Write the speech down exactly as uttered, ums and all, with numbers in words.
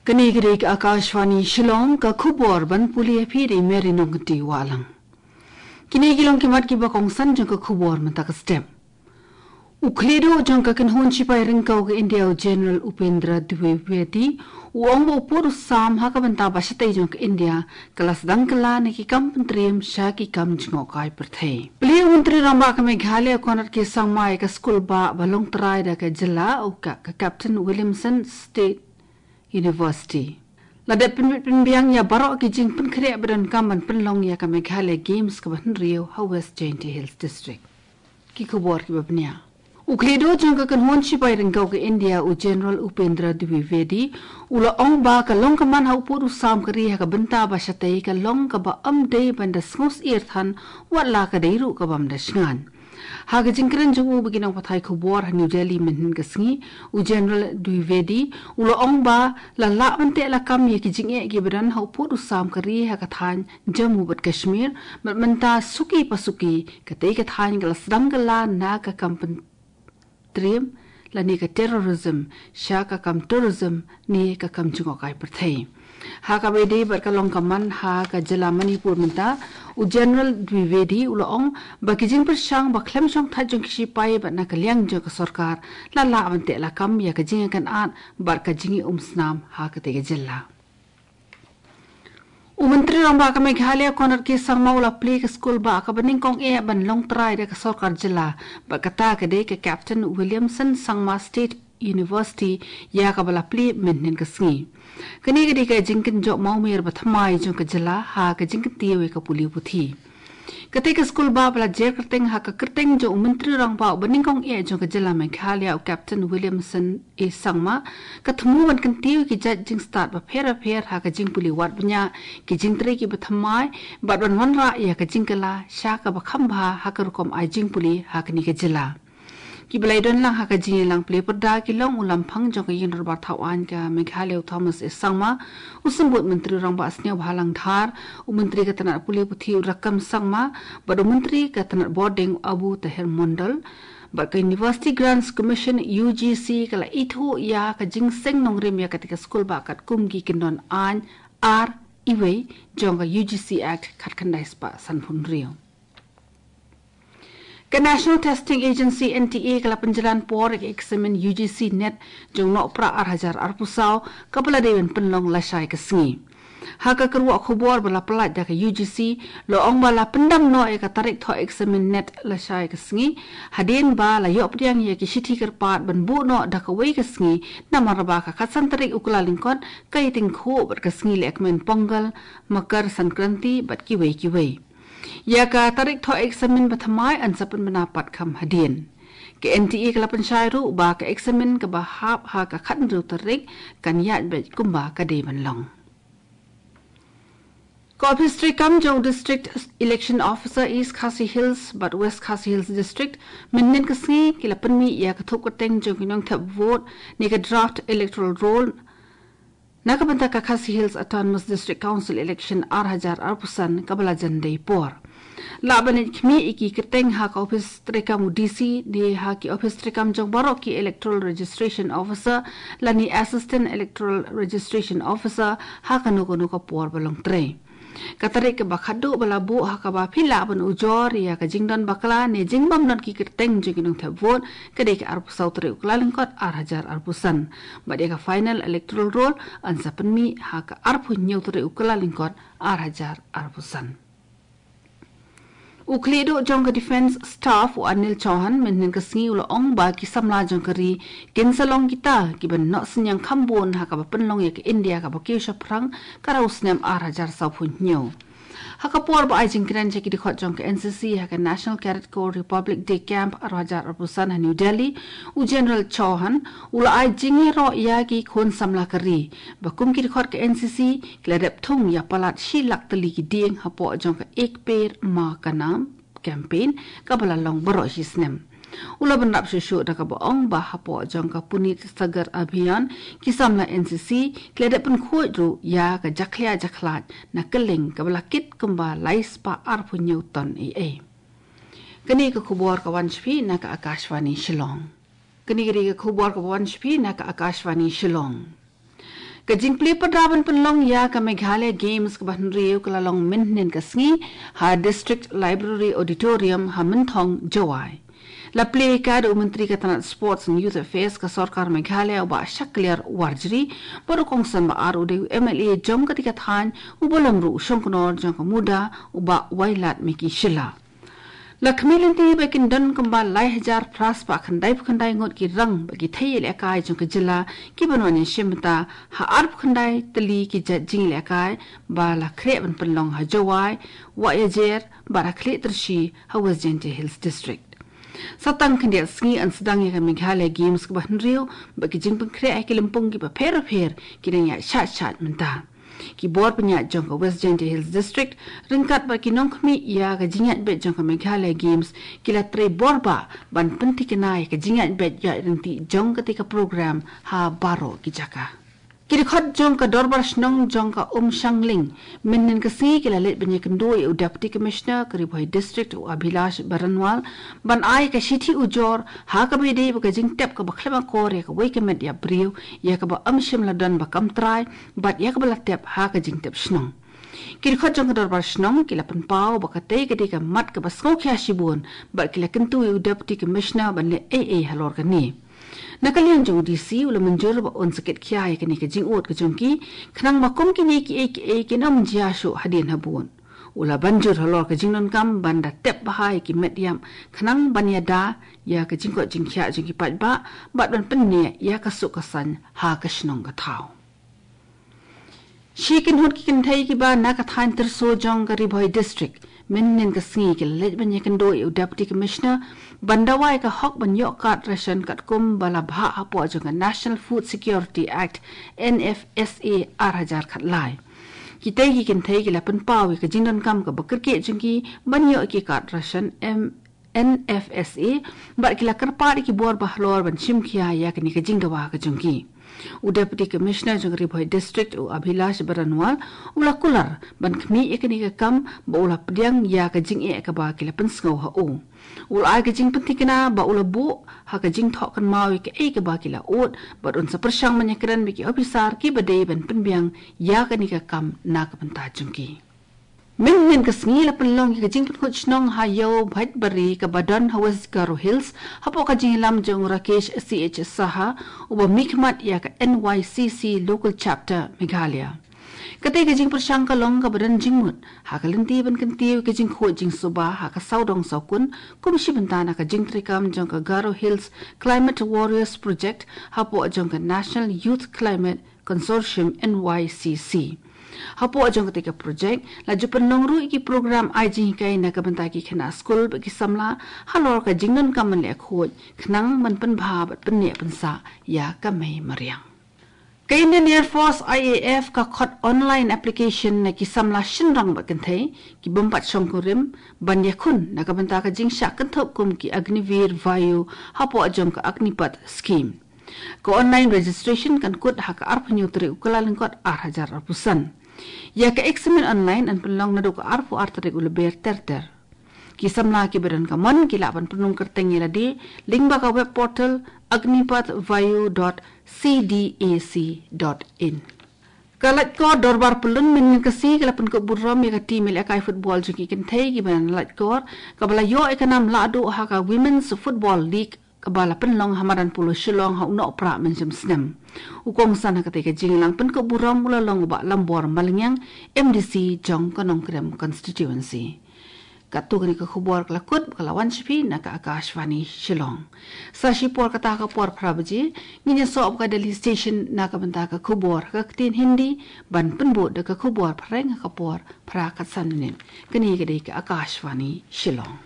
Kane ka dei ka Akashvani Shillong, ka khubor ban pule ïa phi da i Mary Nongkynti Wahlang. Kine ki long ki mat kiba kongsan jong ka khubor mynta ka step. U khlieh duh jong ka kynhun shipai ryngkew ka India u General Upendra Dwivedi u ong ba u pud u sam ha ka bynta ba shatei jong ka India ka la sdang kylla na ki kam pyntriem sha ki kam jngohkai pyrthei. Plie u Myntri Rangbah ka Meghalaya Conrad K Sangma ïa ka skulbah ba long trai da ka jylla u ka, ka Captain Williamson State University. La dep pynbit pynbiang ïa baroh ki jingpynkhreh ba donkam ban pynlong ïa ka Meghalaya Games kaba hynriew ha West Jaintia Hills District. Ki khubor kiba bniah. U khlieh duh jong ka kynhun shipai ryngkew ka India u General Upendra Dwivedi u la ong ba ka long ka man ha u pud u sam ka ri ha ka bynta ba shatei ka long kaba ym dei ban da sngewsyier than wat la ka dei ruh ka bym da shngain. Ha ka jingkren jong u bad ki nongpathai khubor ha New Delhi mynhynnin ka sngi, u General Dwivedi u la ong ba la lah ban teh lakam ïa ki jingeh kiba don ha u pud u sam ka ri ha ka thaiñ Jammu bad Kashmir, bad mynta suki pa suki katei ka thaiñ ka la sdang kylla na ka kam pyntriem lane ka terrorism sha ka kam tourism ne ka kam jngohkai pyrthei. Ha kaba ïadei bad ka long ka man ha ka jylla Manipur mynta, u General Dwivedi u la ong ba ki jingpyrshang ba khlem shongthait jong ki shipai bad na ka liang jong ka sorkar la lah ban teh lakam ïa ka jingïakynad bad ka jingïaumsnam ha katei ka jylla. U Myntri Rangbah ka Meghalaya Conrad K Sangma u la plie ka skulbah kaba nyngkong eh ban long trai da ka sorkar jylla, bad kata ka dei ka Captain Williamson Sangma State University ïa kaba la plie mynhynnin ka sngi. Kane ka dei ka jingkynjoh mawmer ba thymmai jong ka jylla ha ka jingkyntiew ïa ka pule puthi. Katei ka skulbah ba la jer kyrteng ha ka kyrteng jong u Myntri Rangbah uba nyngkong eh jong ka jylla Meghalaya u Captain Williamson A Sangma, ka thmu ban kyntiew ïa ki jait jingstad bapher bapher ha ka jingpule wad bniah, ki jingtrei kiba thymmai, bad ban wanrah ïa ka jingkylla sha kaba kham bha ha ka rukom ai jingpule ha kane ka jylla. Kiba la ïadon lang ha ka jingïalang plie pyrda ki long u Lamphang jong ka Ïingdorbar Thawaiñ ka Meghalaya u Thomas A Sangma, u Symbud Myntri Rangbah Sniawbhalang Dhar, u Myntri ka tnat pule puthi u Rakkam Sangma, bad u Myntri ka tnat bordieng u Abu Taher Mondol. Bad ka University Grants Commission, U G C, ka la ithuh ïa ka jingseng nongrim ïa katei ka skulbah katkum ki kyndon aiñ ar iwei jong ka U G C Act khatkhyndai spah sanphew hynriew. Ka National Testing Agency, N T A, ka la pynjlan por ïa ka eksamin U G C NET jong u Nohprah ar hajar arphew saw, kaba la dei ban pynlong lashai ka sngi. Ha ka kyrwoh khubor ba la pyllait da ka U G C, la ong ba la pyndam noh ïa ka tarik thoh eksamin NET lashai ka sngi, hadien ba la ïoh pdiang ïa ki shithi kyrpad ban buh noh da kawei ka sngi, namar ba ka khatsan tarik u Kyllalyngkot ka ïatyngkhuh bad ka sngi lehkmen Pongal, Makar Sankranti bad kiwei kiwei. Ïa ka tarik thoh eksamin ba thymmai yn sa pynbna pat kham hadien. Ka N T A ka la pynshai ruh ba ka eksamin kaba hap ha ka khathynriew tarik kan ïaid beit kumba ka dei ban long. Ka ophis treikam jong u District Election Officer East Khasi Hills bad West Khasi Hills District mynhynnin ka sngi ki la pynmih ïa ka thup kyrteng jong ki nongthep vote ne ka draft electoral roll na ka bynta ka Khasi Hills Autonomous District Council election ar hajar arphew san kaba la jan dei por. Lah ban leit khmih ïa ki kyrteng ha ka ophis treikam u D C ne ha ki ophis treikam jong baroh ki Electoral Registration Officer lane Assistant Electoral Registration Officer ha kano kano ka por ba long trei. Ka tarik kaba khatduh ba la buh ha kaba phi lah ban ujor ïa ka jingdon bakla ne jingbym don ki kyrteng jong ki nongthep vote ka dei ka arphew saw tarik u Kyllalyngkot ar hajar arphew san. Bad ïa ka final electoral roll yn sa pynmih ha ka arphew hynñiew tarik u Kyllalyngkot ar hajar arphew san. U khlieh duh jong ka Defence Staff u Anil Chauhan mynhynnin ka sngi u la ong ba ki samla jong ka ri kin sa long kita kiban noh synñiang kham bun ha kaba pynlong ïa ka India kaba kiew shaphrang ka rau snem ar hajar sawphew hynñiew. Ha ka por ba ai jingkren sha ki dkhot jong ka N C C ha ka National Cadet Corps Republic Day Camp ar hajar arphew san ha New Delhi, u General Chauhan u la ai jingïaroh ïa ki khun samla ka ri ba kum ki dkhot ka N C C ki la dep thung ïa palat shi lak tylli ki dieng hapoh jong ka Ek Ped Maa Ka Naam campaign kaba la long baroh shi snem. U la bynrap shuh shuh da kaba ong ba hapoh jong ka Puneet Sagar Abhiyan ki samla N C C ki la dep pynkhuid ruh ïa ka jakhlia jakhlad na kylleng kaba la kit kumba lai spah arphew hynñiew ton ei ei. Kane ka khubor ka wan sha phi na ka Akashvani Shillong. Kane ka dei ka khubor kaba wan sha phi na ka Akashvani Shillong. Ka jingplie pyrda ban pynlong ïa ka Meghalaya Games kaba hynriew ka la long mynhynnin ka sngi ha District Library Auditorium ha Mynthong, Jowai. La plie ka da u Myntri ka tnat Sports and Youth Affairs ka Sorkar Meghalaya, u Bah Shakliar Warjri, bad u kongsan ba ar u dei u M L A jong ka Tikathan, u ba long ruh u shongknor jong ka MUDA, u Bah Wailadmiki Shylla. La khmih lynti ba kin don kumba lai hajar phra spah khyndai phew khyndai ngut ki rang bad ki thei ïalehkai jong ka jylla ki ban wan ïashim bynta ha ar phew khyndai tylli ki jait jingïalehkai ba la khreh ban pynlong ha Jowai, Wahiajer bad ha Khliehtyrshi ha West Jaintia Hills District. Sa tang khyndiat sngi yn sdang ïa ka Meghalaya Games kaba hynriew bad ki jingpynkhreh ha ki lympung kiba pher bapher ki dang ïaid shait shait mynta. Ki bor pynïaid jong ka West Jaintia Hills District ryngkat bad ki nongkhmih ïa ka jingïaid beit jong ka Meghalaya Games ki la trei bor bha ban pynthikna ïa ka jingïaid beit ïaid ryntih jong katei ka program ha baroh ki jaka. Ki dkhot jong ka Dorbar Shnong jong ka Umshangling mynhynnin ka sngi ki la leit ban ïakynduh ïa u Deputy Commissioner ka Ri Bhoi District, u Abhilash Baranwal, ban ai ka shithi ujor ha kaba ïadei bad ka jingtep kaba khlem akor ïa kawei ka met ïapbriew, ïa kaba ym shym la don ba kam trai bad ïa kaba la tep ha ka jingtep shnong. Ki dkhot jong ka Dorbar Shnong ki la pynpaw ba katei ka dei ka mat kaba sngewkhia shibun bad ki la kyntu ïa u Deputy Commissioner ban leh ei ei halor kane. Na ka liang jong u D C, u la mynjur ba un sa kit khia ïa kane ka jingud ka jong ki, khnang ba kum kine kiei kiei kin ym jia shuh hadien habud. U la ban jur halor ka jingdonkam ban da tep bha ïa ki met ïap khnang ban ïada ïa ka jingkoit jingkhiah jong ki paidbah bad ban pynneh ïa ka suk ka saiñ ha ka shnong ka thaw. Shi kynhun ki kynthei kiba na ka thaiñ Tyrso jong ka Ri Bhoi District mynhynnin ka sngi ki la leit ban ïakynduh ïa u Deputy Commissioner ban dawa ïa ka hok ban ïoh card ration katkum ba la bhah hapoh jong ka National Food Security Act, N F S A, ar hajar khatlai. Kitei ki kynthei ki la pynpaw ïa ka jingdonkam kaba kyrkieh jong ki ban ïoh ïa ki card ration M N F S A, bad ki la kyrpad ïa ki bor bahalor ban shim khia ïa kane ka jingdawa ka jong ki. U Deputy Commissioner jong ka Ri Bhoi District, u Abhilash Baranwal, u la kular ban khmih ïa kane ka kam ba u la pdiang ïa ka jingeh kaba ki la pynsngew ha u. U la ai ka jingpynthikna ba u la buh ha ka jingthoh kynmaw ïa kaei kaba ki la ud bad un sa pyrshang ban ïakren bad ki ophisar kiba dei ban pynbiang ïa kane ka kam na ka bynta jong ki. Mynhynnin ka sngi la pynlong ïa ka jingpynkhuid shnong ha Ïew Bhaitbari kaba don ha West Garo Hills hapoh ka jingïalam jong u Rakesh C H Saha, uba mihkhmat ïa ka N Y C C Local Chapter Meghalaya. Katei ka jingpyrshang ka long kaba don jingmut ha ka lynti ban kyntiew ïa ka jingkhuid jingsuba ha ka sawdong sawkun kum shi bynta na ka jingtreikam jong ka Garo Hills Climate Warriors Project hapoh jong ka National Youth Climate Consortium, N Y C C. Hapoh jong katei ka projek la ju pynlong ruh ïa ki program ai jinghikai na ka bynta ki khynnah skul bad ki samla halor ka jingdonkam ban leh khuid khnang ban pynbha bad pynneh pynsah ïa ka mei mariang. Ka Indian Air Force, I A F, ka khot online application na ki samla shynrang bad kynthei ki bym pat shongkurim ban ïakhun na ka bynta ka jingshah kynthup kum ki Agniveer Vayu hapoh jong ka Agnipath Scheme. Ka online registration kan kut ha ka arphew hynñiew tarik u Kyllalyngkot ar hajar arphew san. Ïa ka examen online yn pynlong naduh ka arphew ar tarik u Lber ter ter. Ki samla kiba don ka mon ki lah ban pynrung kyrteng ïa lade lyngba ka web portal agnipathvayu dot C D A C dot in. Ka Laitkor Dorbar Pyllun mynhynnin ka sngi ka la pynkup burom ïa ka team ïalehkai football jong ki kynthei kiba na Laitkor, kaba la ïoh ïa ka nam lahduh ha ka Women's Football League kaba la pynlong ha madan polo Shillong ha u Nohprah mynshem snem. U kongsan ha katei ka jingïalang pynkup burom u la long u Bah Lambor Malngiang, M D C jong ka Nongkrem Constituency. Katto katne ka khubor ka la kut, ka la wan sha phi na ka Akashvani Shillong. Sa shipor kata ka por phra baje ngin ïasoh bad ka Delhi Station na ka bynta ka khubor ha ka ktien Hindi, ban pynbud da ka khubor phareng ha ka por phra khatsan minit. Kane ka dei ka Akashvani Shillong.